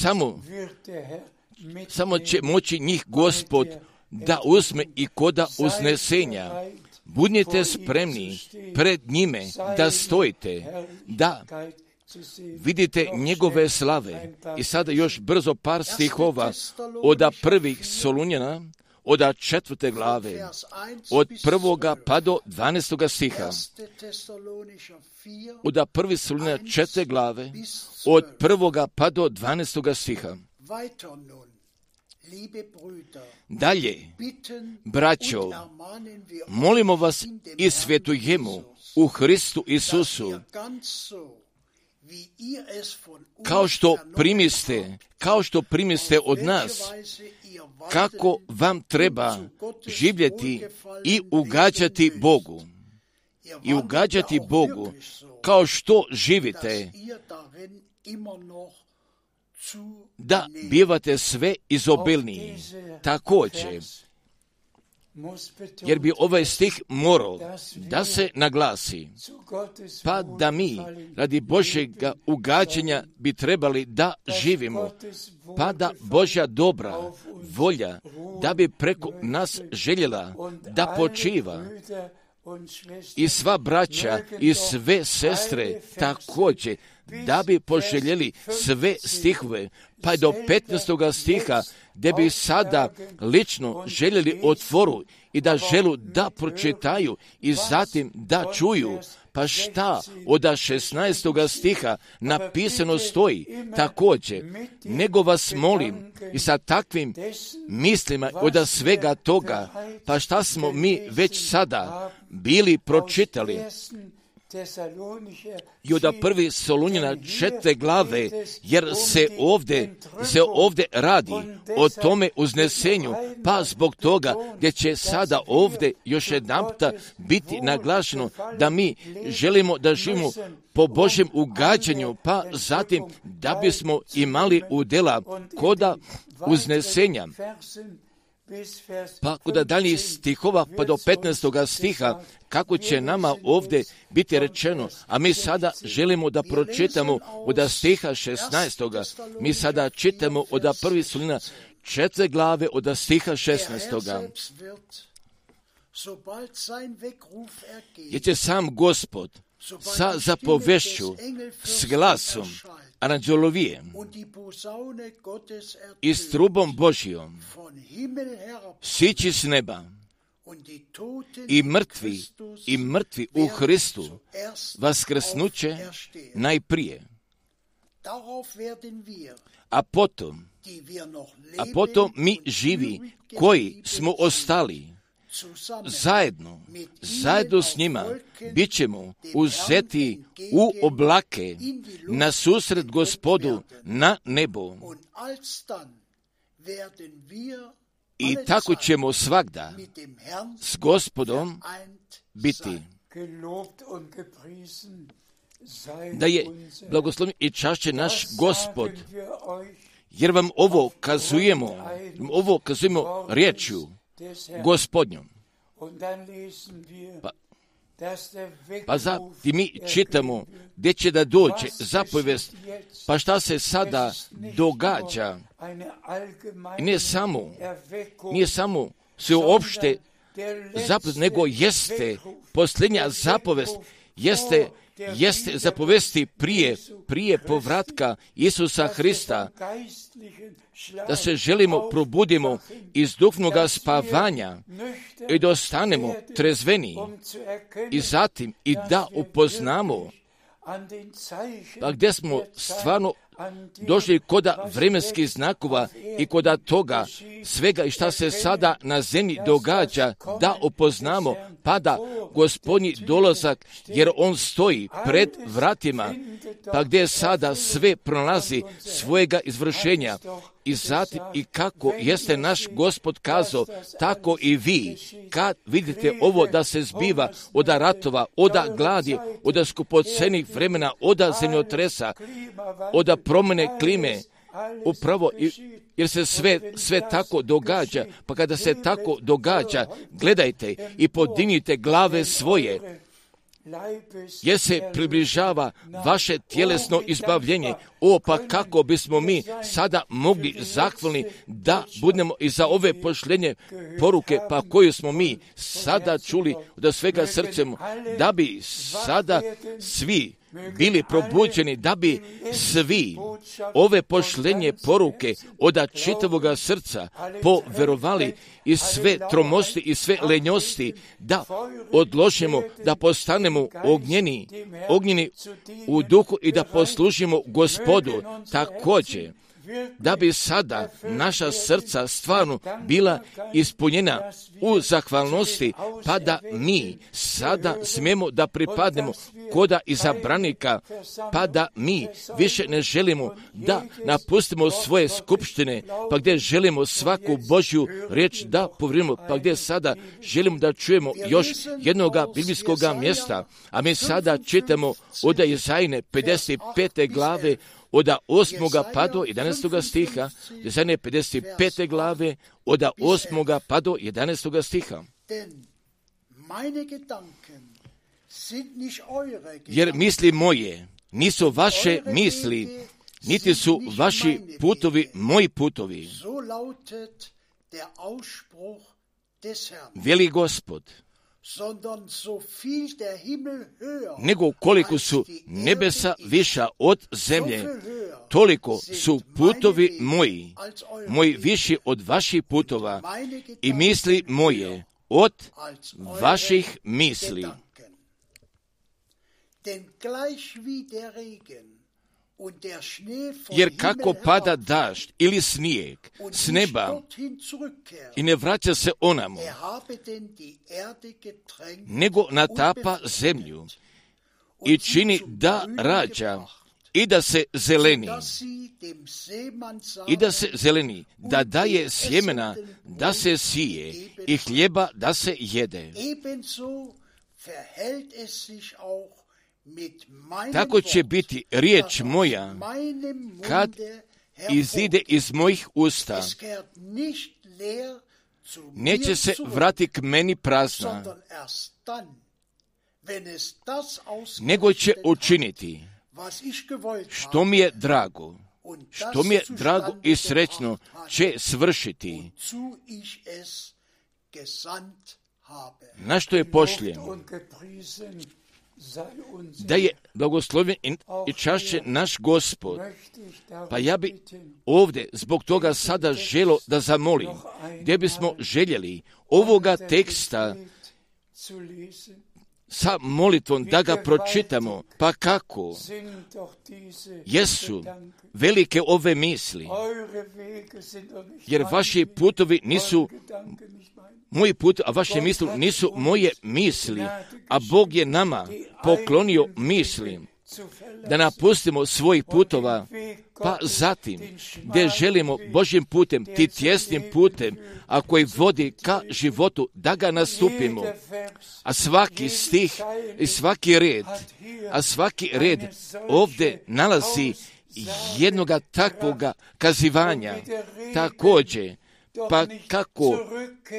samo će moći njih Gospod da uzme i koda uznesenja. Budnite spremni pred njime da stojite, da vidite njegove slave. I sada još brzo par stihova od 1. Solunjana, od 4. glave, od 1. pa do 12. stiha. Od 1. Solunjana 4. glave, od 1. pa do 12. stiha. Dalje, braćo, molimo vas i svetujemo u Hristu Isusu, kao što primiste od nas, kako vam treba živjeti i ugađati Bogu, kao što živite da bivate sve izobilniji. Također, jer bi ovaj stih morao da se naglasi, pa da mi radi Božjega ugađanja bi trebali da živimo, pa da Božja dobra volja da bi preko nas željela da počiva i sva braća i sve sestre također da bi poželjeli sve stihove, pa do 15. stiha, gdje bi sada lično željeli otvoru i da želu da pročitaju i zatim da čuju. Pa šta od 16. stiha napisano stoji također, nego vas molim i sa takvim mislima od svega toga, pa šta smo mi već sada bili pročitali i od 1. Solunjana 4. glave, jer se ovdje radi o tome uznesenju, pa zbog toga gdje će sada ovdje još jedanputa biti naglašeno da mi želimo da živimo po Božjem ugađanju, pa zatim da bismo imali udjela koda uznesenja. Pa kod daljnjih stihova pa do 15. stiha, kako će nama ovdje biti rečeno, a mi sada želimo da pročitamo od stiha 16. Mi sada čitamo od 1. Solunjana 4. glave od stiha 16. Jer će sam Gospod sa zapovešću, s glasom anđelovije i s trubom Božjom sići s neba i mrtvi u Hristu vaskrsnuće najprije. A potom mi živi koji smo ostali zajedno s njima bit ćemo uzeti u oblake na susret Gospodu na nebo. I tako ćemo svagda s Gospodom biti. Da je blagoslovljen i čašćen naš Gospod, jer vam ovo kazujemo riječju Gospodnjom. Pa zatim mi čitamo gdje će da dođe zapovijest, pa šta se sada događa. I nije samo sveopšte zapovijest, nego jeste posljednja zapovijest, jeste zapovesti prije povratka Isusa Hrista, da se želimo probudimo iz duhovnoga spavanja i da ostanemo trezveni i zatim i da upoznamo pa gdje smo stvarno došli koda vremenskih znakova i koda toga svega i šta se sada na zemlji događa, da upoznamo pa da Gospodnji dolazak, jer on stoji pred vratima, pa gdje sada sve pronalazi svojega izvršenja. I zatim i kako jeste naš Gospod kazao, tako i vi, kad vidite ovo da se zbiva od ratova, od gladi, od skupocenih vremena, od zemljotresa, od promjene klime, upravo jer se sve tako događa, pa kada se tako događa, gledajte i podignite glave svoje, jer se približava vaše tjelesno izbavljenje. Pa kako bismo mi sada mogli zahvalni da budemo i za ove pošljenje poruke, pa koju smo mi sada čuli od svega srcem, da bi sada svi bili probuđeni, da bi svi ove pošljenje poruke od čitavoga srca poverovali i sve tromosti i sve lenjosti, da odložimo, da postanemo ognjeni u duhu i da poslužimo Gospodu. Također, da bi sada naša srca stvarno bila ispunjena u zahvalnosti, pa da mi sada smijemo da pripadnemo koda izabranika, pa da mi više ne želimo da napustimo svoje skupštine, pa gdje želimo svaku Božju riječ da povrimimo, pa gdje sada želimo da čujemo još jednoga biblijskoga mjesta, a mi sada čitamo od Izajine 55. glave od 8. pa do 11. stiha, Jesaja 55. glave, od 8. pa do 11. stiha. Jer misli moje nisu vaše misli, niti su vaši putovi moji putovi. Veli Gospod, nego koliko su nebesa viša od zemlje, toliko su putovi moji viši od vaših putova i misli moje od vaših misli. Jer kako pada dažď ili snijeg s neba i ne vraća se onamo, nego natapa zemlju i čini da rađa i da se zeleni, da daje sjemena da se sije i hljeba da se jede. Tako će biti riječ moja kad izide iz mojih usta. Neće se vrati k meni prazna, nego će učiniti što mi je drago, i srećno će svršiti, na što je pošljen. Da je blagoslovljen i čašće naš Gospod. Pa ja bi ovdje zbog toga sada želo da zamolim, gdje bismo željeli ovoga teksta sa molitvom da ga pročitamo, pa kako jesu velike ove misli, jer vaši putovi nisu moji put, a vaše misli nisu moje misli, a Bog je nama poklonio misli da napustimo svojih putova, pa zatim gdje želimo Božjim putem, ti tjesnim putem, a koji vodi ka životu, da ga nastupimo. A svaki stih i svaki red ovdje nalazi jednoga takvoga kazivanja. Također, pa kako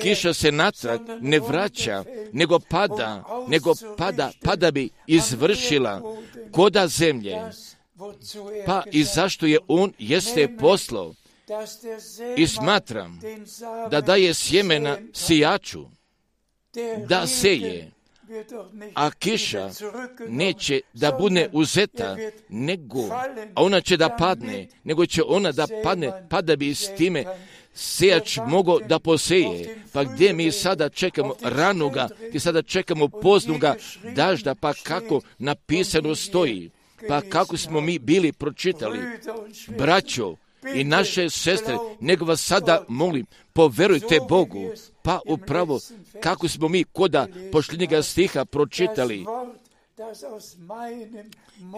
kiša se natrag ne vraća, nego pada bi izvršila koda zemlje, pa i zašto je on jeste poslao. I smatram da daje sjemena sijaču, da seje, a kiša neće da bude uzeta, a ona će da padne, nego će ona da padne, pa da bi s time sejač mogao da poseje. Pa gdje mi sada čekamo ranoga, gdje sada čekamo poznoga dažda, pa kako napisano stoji, pa kako smo mi bili pročitali, braćo i naše sestre, nego vas sada molim, poverujte Bogu, pa upravo kako smo mi koda posljednjega stiha pročitali,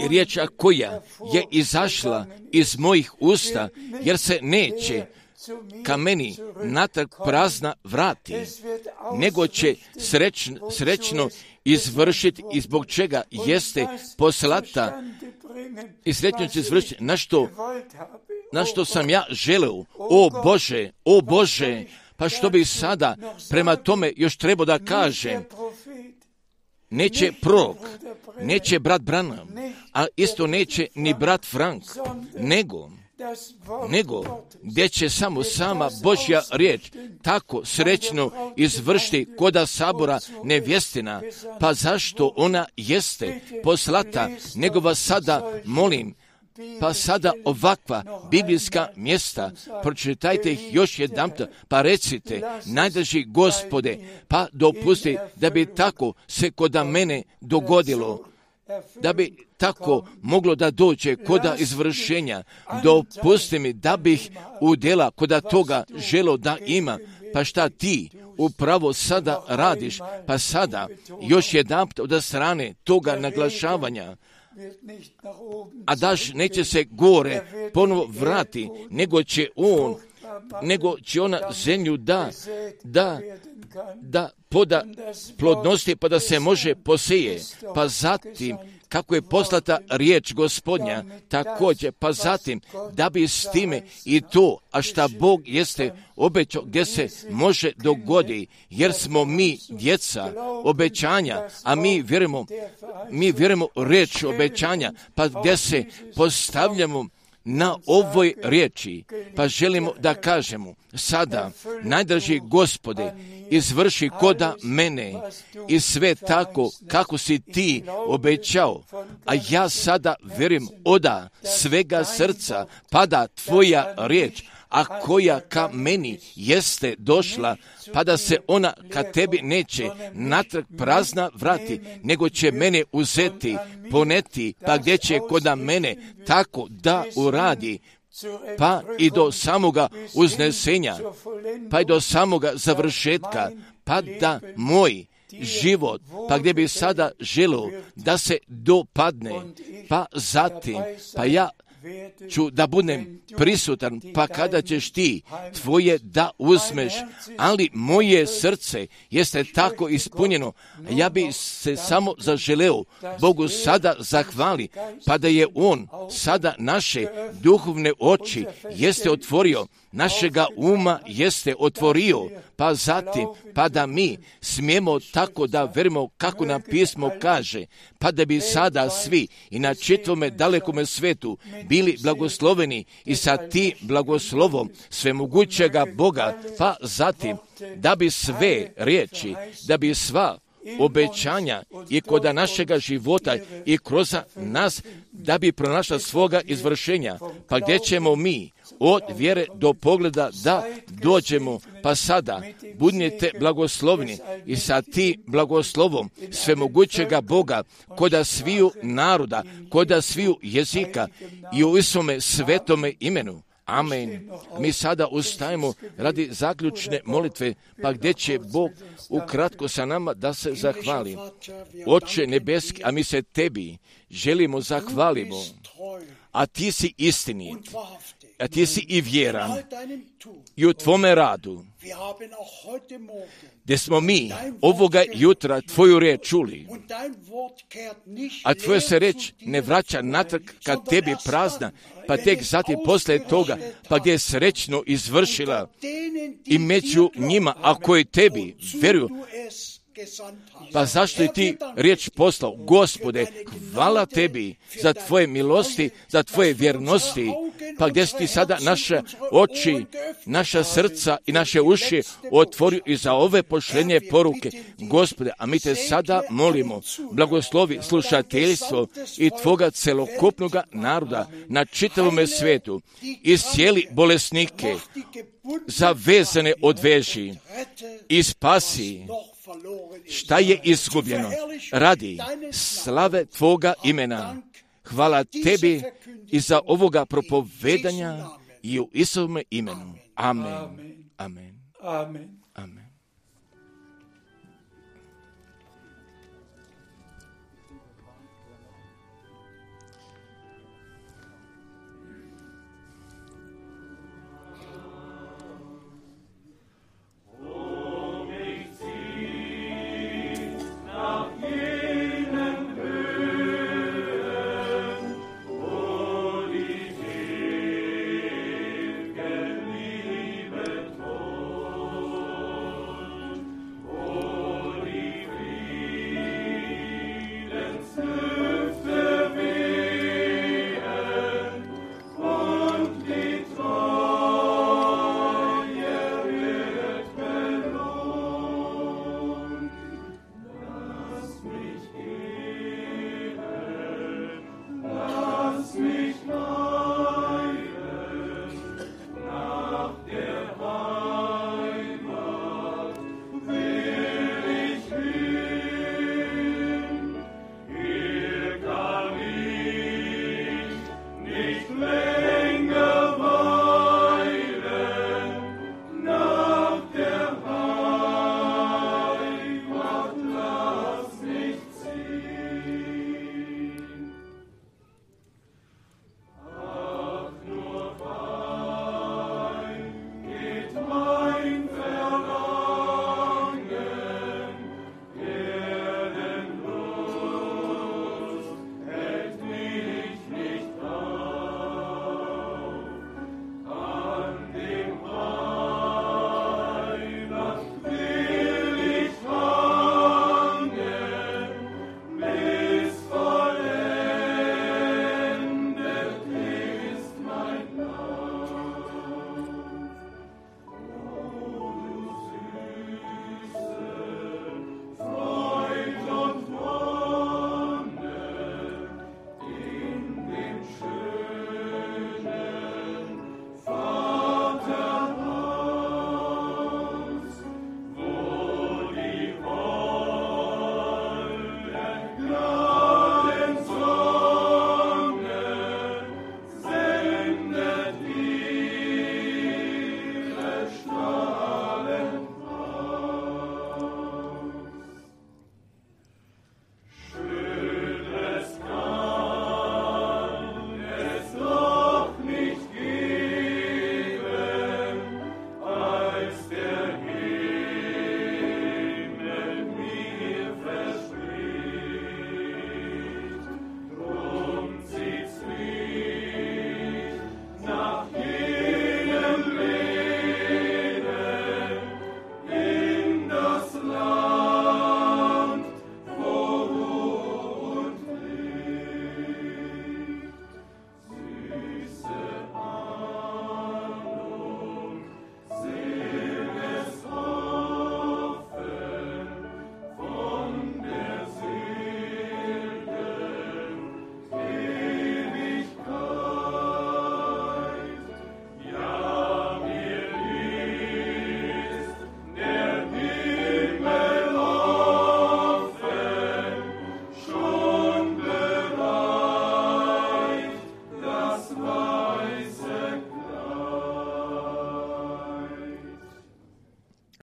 riječ koja je izašla iz mojih usta, jer se neće ka meni natrag prazna vrati, nego će srećno izvršiti i zbog čega jeste poslata i srećno će izvršiti na što sam ja želeo. O Bože, pa što bi sada prema tome još trebao da kažem? Neće prorok, neće brat Branham, a isto neće ni brat Frank, nego gdje će samo sama Božja riječ tako srećno izvršiti koda sabora nevjestina, pa zašto ona jeste poslata, nego vas sada molim, pa sada ovakva biblijska mjesta, pročitajte ih još jedanput, pa recite, najdraži Gospode, pa dopusti da bi tako se koda mene dogodilo, da bi tako moglo da dođe koda izvršenja. Dopusti mi da bih udjela koda toga želo da ima, pa šta ti upravo sada radiš, pa sada još jedanput od strane toga naglašavanja, a daš neće se gore ponovo vrati, nego će ona zemlju da poda plodnosti, pa da se može poseje, pa zatim kako je poslata riječ Gospodnja, također, pa zatim, da bi s time i to, a šta Bog jeste obećao, gdje se može dogodi, jer smo mi djeca obećanja, a mi vjerujemo riječ obećanja, pa gdje se postavljamo na ovoj riječi, pa želimo da kažemo, sada, najdraži Gospode, izvrši koda mene i sve tako kako si ti obećao, a ja sada vjerujem oda svega srca pada tvoja riječ, a koja ka meni jeste došla, pa da se ona ka tebi neće natrag prazna vrati, nego će mene uzeti, poneti, pa gdje će koda mene tako da uradi, pa i do samoga uznesenja, pa i do samoga završetka, pa da moj život, pa gdje bi sada želio da se dopadne, pa zatim, pa ja ću da budem prisutan, pa kada ćeš ti tvoje da uzmeš, ali moje srce jeste tako ispunjeno, ja bi se samo zaželeo Bogu sada zahvali, pa da je On sada naše duhovne oči jeste otvorio, našega uma jeste otvorio, pa zatim, pa da mi smijemo tako da verimo kako nam pismo kaže, pa da bi sada svi i na čitavome dalekome svetu bili blagosloveni i sa tim blagoslovom svemogućega Boga, pa zatim, da bi sve riječi, da bi sva obećanja i kod našega života i kroz nas, da bi pronašla svoga izvršenja, pa gdje ćemo mi od vjere do pogleda da dođemo, pa sada budnite blagoslovni i sa tim blagoslovom svemogućega Boga koda sviju naroda, koda sviju jezika i u Isome svetome imenu. Amen. Mi sada ustajemo radi zaključne molitve, pa gdje će Bog ukratko sa nama da se zahvali. Oče nebeski, a mi se tebi želimo zahvalimo, a ti si istinit, a ti si i vjeran i u tvome radu, gdje smo mi ovoga jutra tvoju riječ čuli, a tvoja se riječ ne vraća natrag kad tebi prazna, pa tek zatim poslije toga, pa gdje je srećno izvršila i među njima, a koji tebi vjeruju, pa zašto je ti riječ poslao? Gospode, hvala tebi za tvoje milosti, za tvoje vjernosti, pa gdje si ti sada naše oči, naša srca i naše uši otvorio i za ove pošlenje poruke. Gospode, a mi te sada molimo, blagoslovi slušateljstvo i tvoga celokupnoga naroda na čitavome svijetu, iscijeli bolesnike, zavezane odveži i spasi šta je izgubljeno radi slave tvoga imena. Hvala tebi i za ovoga propovedanja i u Isovome imenu. Amen. Amen. Amen. Amen.